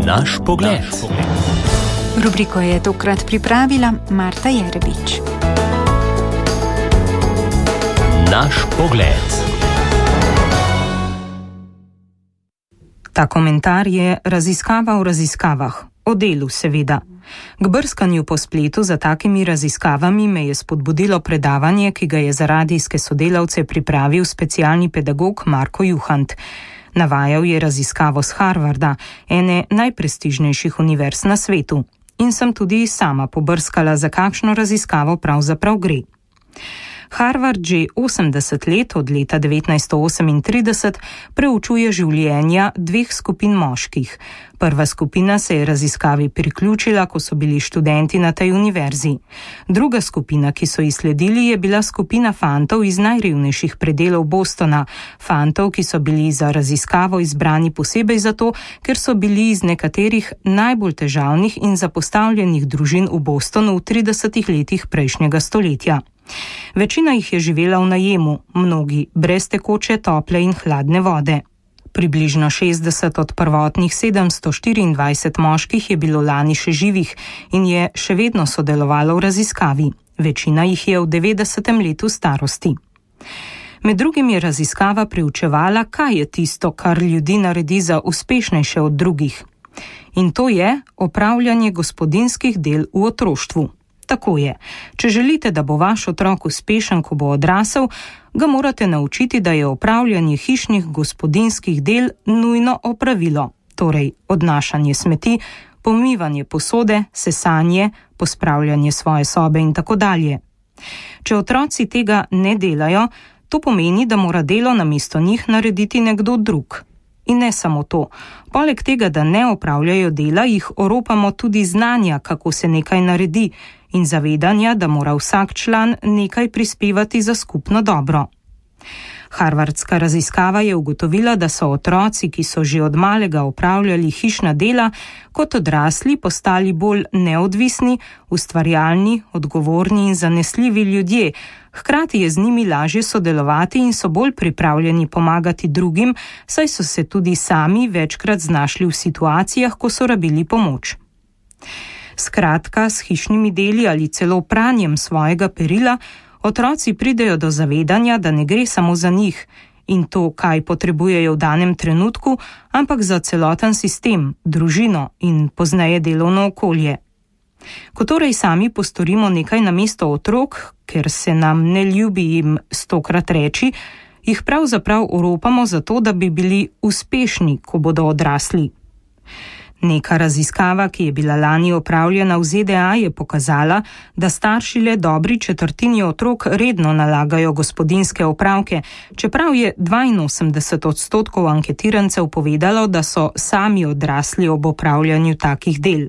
Naš pogled. Rubriko je tokrat pripravila Marta Jerebič. Naš pogled. Ta komentar je raziskava o raziskavah, o delu seveda. K brskanju po spletu za takimi raziskavami me je spodbudilo predavanje, ki ga je za radijske sodelavce pripravil specialni pedagog Marko Juhant. Navajal je raziskavo z Harvarda, ene najprestižnejših univerz na svetu. In sem tudi sama pobrskala, za kakšno raziskavo pravzaprav gre. Harvard že 80 let, od leta 1938, preučuje življenja dveh skupin moških. Prva skupina se je raziskavi priključila, ko so bili študenti na tej univerzi. Druga skupina, ki so ji sledili, je bila skupina fantov iz najrevnejših predelov Bostona. Fantov, ki so bili za raziskavo izbrani posebej zato, ker so bili iz nekaterih najbolj težavnih in zapostavljenih družin v Bostonu v 30 letih prejšnjega stoletja. Večina jih je živela v najemu, mnogi brez tekoče, tople in hladne vode. Približno 60 od prvotnih 724 moških je bilo lani še živih in je še vedno sodelovalo v raziskavi. Večina jih je v 90. letu starosti. Med drugim je raziskava preučevala, kaj je tisto, kar ljudi naredi za uspešnejše od drugih. In to je opravljanje gospodinjskih del v otroštvu. Tako je. Če želite, da bo vaš otrok uspešen, ko bo odrasel, ga morate naučiti, da je opravljanje hišnih gospodinjskih del nujno opravilo. Torej, odnašanje smeti, pomivanje posode, sesanje, pospravljanje svoje sobe in tako dalje. Če otroci tega ne delajo, to pomeni, da mora delo namesto njih narediti nekdo drug. In ne samo to. Poleg tega, da ne opravljajo dela, jih oropamo tudi znanja, kako se nekaj naredi, in zavedanja, da mora vsak član nekaj prispevati za skupno dobro. Harvardska raziskava je ugotovila, da so otroci, ki so že od malega opravljali hišna dela, kot odrasli postali bolj neodvisni, ustvarjalni, odgovorni in zanesljivi ljudje. Hkrati je z njimi lažje sodelovati in so bolj pripravljeni pomagati drugim, saj so se tudi sami večkrat znašli v situacijah, ko so rabili pomoč. Skratka, s hišnimi deli ali celo pranjem svojega perila, otroci pridejo do zavedanja, da ne gre samo za njih in to, kaj potrebujejo v danem trenutku, ampak za celoten sistem, družino in pozneje delovno okolje. Ko torej sami postorimo nekaj namesto otrok, ker se nam ne ljubi jim 100-krat reči, jih pravzaprav oropamo zato, da bi bili uspešni, ko bodo odrasli. Neka raziskava, ki je bila lani opravljena v ZDA, je pokazala, da starši le dobri četrtini otrok redno nalagajo gospodinjske opravke, čeprav je 82% anketirancev povedalo, da so sami odrasli ob opravljanju takih del.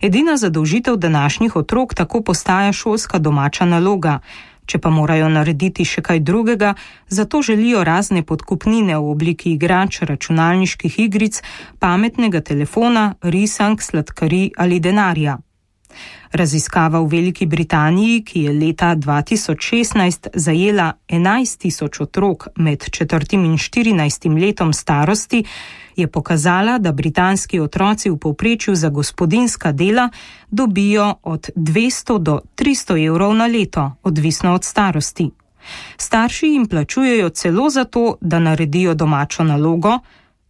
Edina zadolžitev današnjih otrok tako postaja šolska domača naloga. Če pa morajo narediti še kaj drugega, zato želijo razne podkupnine v obliki igrač, računalniških igric, pametnega telefona, risank, sladkarij ali denarja. Raziskava v Veliki Britaniji, ki je leta 2016 zajela 11.000 otrok med 4. in 14. letom starosti, je pokazala, da britanski otroci v povprečju za gospodinjska dela dobijo od 200 do 300 evrov na leto, odvisno od starosti. Starši jim plačujejo celo za to, da naredijo domačo nalogo,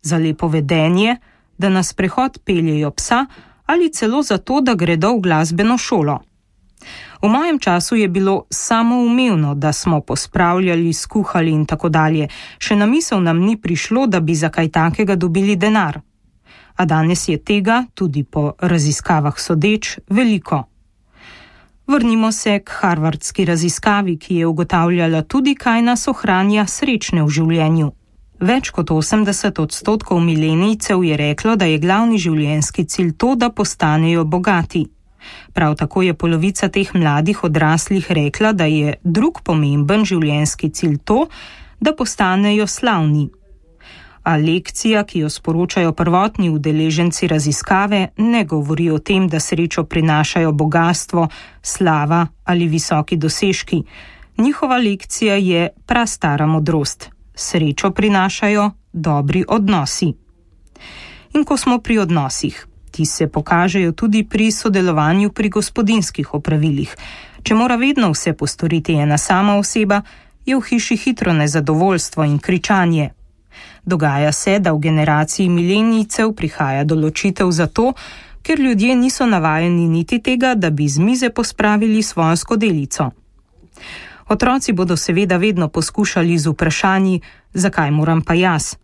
za lepo vedenje, da na sprehod peljejo psa ali celo za to, da gredo v glasbeno šolo. V mojem času je bilo samoumevno, da smo pospravljali, skuhali in tako dalje. Še na misel nam ni prišlo, da bi za kaj takega dobili denar. A danes je tega, tudi po raziskavah sodeč, veliko. Vrnimo se k harvardski raziskavi, ki je ugotavljala tudi, kaj nas ohranja srečne v življenju. Več kot 80% milenijcev je reklo, da je glavni življenjski cilj to, da postanejo bogati. Prav tako je polovica teh mladih odraslih rekla, da je drug pomemben življenjski cilj to, da postanejo slavni. A lekcija, ki jo sporočajo prvotni udeleženci raziskave, ne govori o tem, da srečo prinašajo bogastvo, slava ali visoki dosežki. Njihova lekcija je prastara modrost. Srečo prinašajo dobri odnosi. In ko smo pri odnosih, ti se pokažejo tudi pri sodelovanju pri gospodinjskih opravilih. Če mora vedno vse postoriti ena sama oseba, je v hiši hitro nezadovoljstvo in kričanje. Dogaja se, da v generaciji milenijcev prihaja do ločitev zato, ker ljudje niso navajeni niti tega, da bi z mize pospravili svojo skodelico. Otroci bodo seveda vedno poskušali z vprašanji, zakaj moram pa jaz.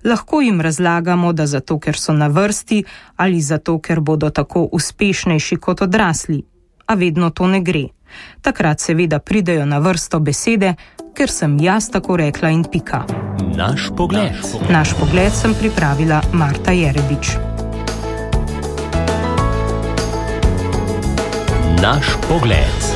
Lahko jim razlagamo, da zato, ker so na vrsti ali zato, ker bodo tako uspešnejši kot odrasli. A vedno to ne gre. Takrat seveda pridejo na vrsto besede, ker sem jaz tako rekla in pika. Naš pogled. Naš pogled sem pripravila Marta Jerebič. Naš pogled.